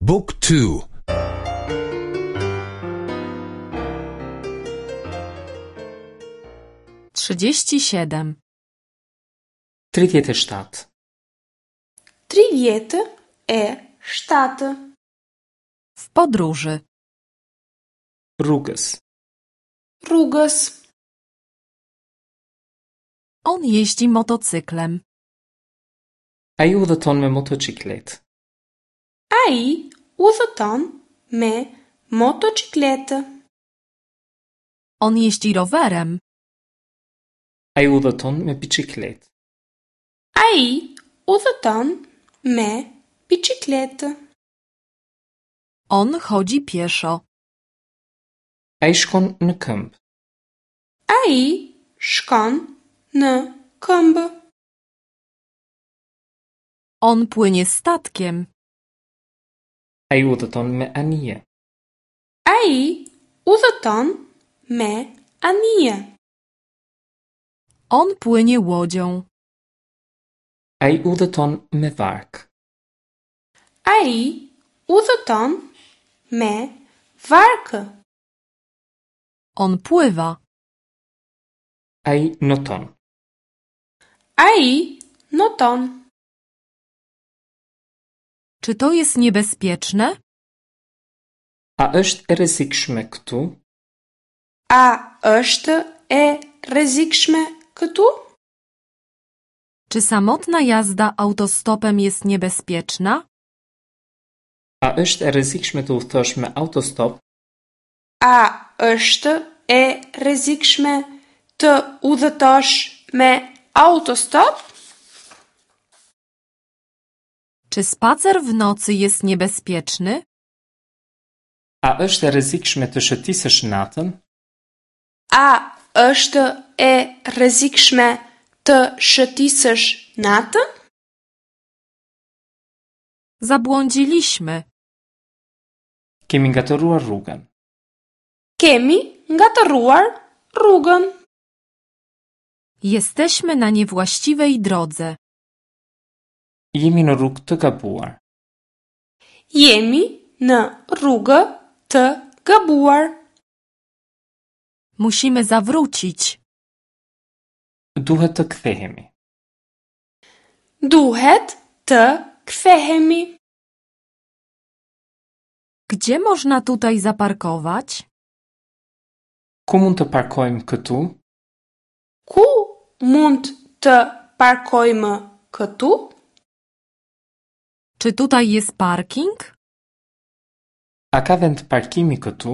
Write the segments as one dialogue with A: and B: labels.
A: บุ๊กทู
B: 37.
C: 37.
D: 37.
B: W podróży.
C: Rrugës.
D: Rrugës.
B: On jeździ motocyklem.
C: Ai udhëton me motoçikletë.
D: Ai udhëton me motoçikletë.
B: On jeździ rowerem.
C: Ai udhëton me biçikletë.
D: Ai udhëton me biçikletë.
B: On chodzi pieszo.
C: Ai shkon në këmbë.
D: Ai shkon në këmbë.
B: On płynie statkiem.
C: Ai udhëton me anije.
D: Ai udhëton me anije.
B: On płynie łodzią.
C: Ai udhëton me varkë.
D: Ai udhëton me varkë.
B: On pływa.
C: Ai noton.
D: Ai noton.
B: Czy to jest niebezpieczne?
C: A është e rrezikshme këtu?
D: A është e rrezikshme këtu?
B: Czy samotna jazda autostopem jest niebezpieczna?
C: A është e rrezikshme të udhëtosh me autostop?
D: A është e rrezikshme të udhëtosh me autostop?
B: Czy spacer w nocy jest niebezpieczny?
C: A është e rrezikshme të shëtisësh natën?
D: A është e rrezikshme të shëtisësh natën?
B: Zabłądziliśmy.
C: Kemi ngatërruar rrugën.
D: Kemi ngatërruar rrugën.
B: Jesteśmy na niewłaściwej drodze.
C: Jemi në rrugë të gabuar.
D: Jemi në rrugë të gabuar.
B: Musimy zawrócić.
C: Duhet të kthehemi.
D: Duhet të kthehemi.
B: Gdzie można tutaj zaparkować?
C: Ku mund të parkojmë këtu?
D: Ku mund të parkojmë këtu?
B: Czy tutaj jest parking?
C: A ka vend parkimi këtu?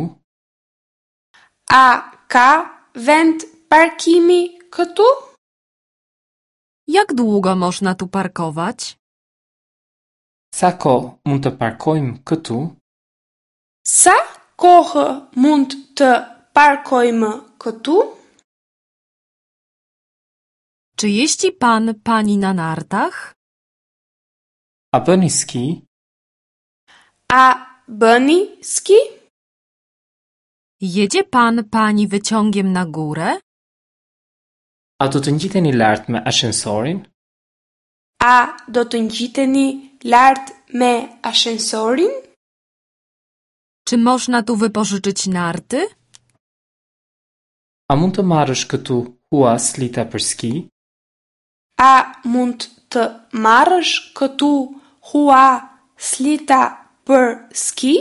D: A ka vend parkimi këtu?
B: Jak długo można tu parkować?
C: Sa kohë mund të parkojmë këtu?
D: Sa kohë mund të parkojmë këtu?
B: Czy jeździ pan, pani na nartach?
C: A bëni ski?
D: A bëni ski?
B: Jedzie pan, pani wyciągiem na górę?
C: A do të ngjiteni lart me ashensorin?
D: A do të ngjiteni lart me ashensorin?
B: Czy można tu wypożyczyć narty?
C: A mund të marrësh këtu hua slita për ski?
D: A mund të marrësh këtu hua slita për ski?